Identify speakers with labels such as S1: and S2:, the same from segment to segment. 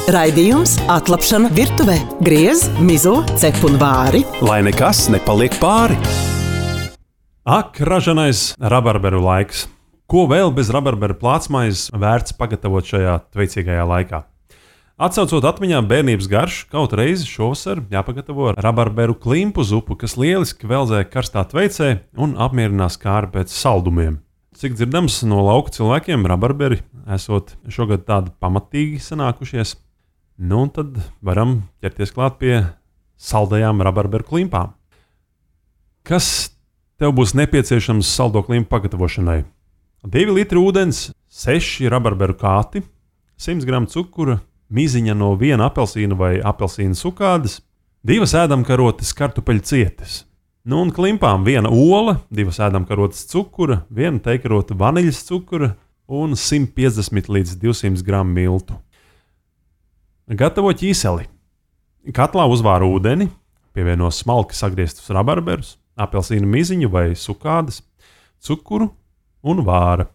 S1: Raidījums Atlapšana virtuvē. Griez, mizo, cep un vāri.
S2: Lai nekas nepaliek pāri.
S3: Ak, ražanais rabarberu laiks. Ko vēl bez rabarberu plātsmaizes vērts pagatavot šajā tveicīgajā laikā? Atcaucot atmiņā bērnības garšu, kaut reizi šovasar jāpagatavo rabarberu klimpu zupu, kas lieliski veldzē karstā tveicē un apmierinās kāri pēc saldumiem. Cik dzirdams no lauku cilvēkiem, rabarberi esot šogad tādi pamatīgi sanākušies. Nu, un tad varam ķerties klāt pie saldajām rabarberu klimpām. Kas tev būs nepieciešams saldo klimpu pagatavošanai? 2 litri ūdens, 6 rabarberu kāti, 100 gramu cukura, miziņa no 1 apelsīna vai apelsīna sukādes, 2 ēdamkarotes kartupeļu cietes. Nu, un klimpām 1 ola, 2 ēdamkarotes cukura, 1 teikarota vaniļas cukura un 150 līdz 200 gramu miltu. Gatavo ķīseli. Katlā uzvāra ūdeni, pievieno smalki sagrieztus rabarberus, apelsīnu miziņu vai sukādes, cukuru un vāra.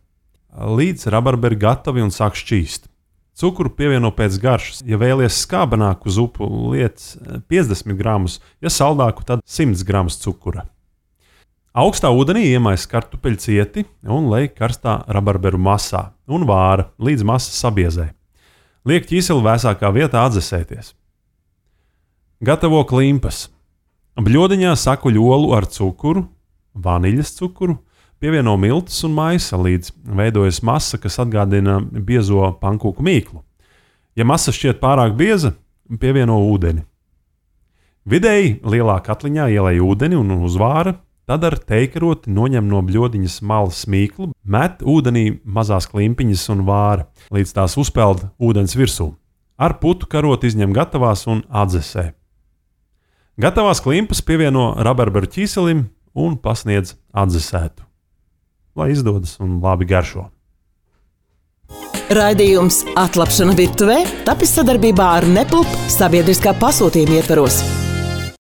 S3: Līdz rabarberi gatavi un sāk šķīst. Cukuru pievieno pēc garšas. Ja vēlies skābenāku zupu, liec 50 gramus, ja saldāku, tad 100 gramus cukura. Augstā ūdenī iemais kartupeļu cieti un lej karstā rabarberu masā un vāra līdz masa sabiezē. Liek ķīseli vēsākā vietā atdzesēties. Gatavo klimpas. Bļodiņā sakuļ olu ar cukuru, vaniļas cukuru, pievieno miltus un maisa, līdz veidojas masa, kas atgādina biezo pankūku mīklu. Ja masa šķiet pārāk bieza, pievieno ūdeni. Vidēji lielā katliņā ielej ūdeni un uzvāra, tad ar teikaroti noņem no bļodiņas malas mīklu, met ūdenī mazās klimpiņas un vāra, līdz tās uzpeld ūdens virsū. Ar putu karoti izņem gatavās un atdzesē. Gatavās klimpas pievieno rabarberu ķīselim un pasniedz atdzesētu. Lai izdodas un labi garšo.
S1: Raidījums Atlapšana virtuvē tapis sadarbībā ar Nepulp sabiedriskā pasūtījuma ietvaros.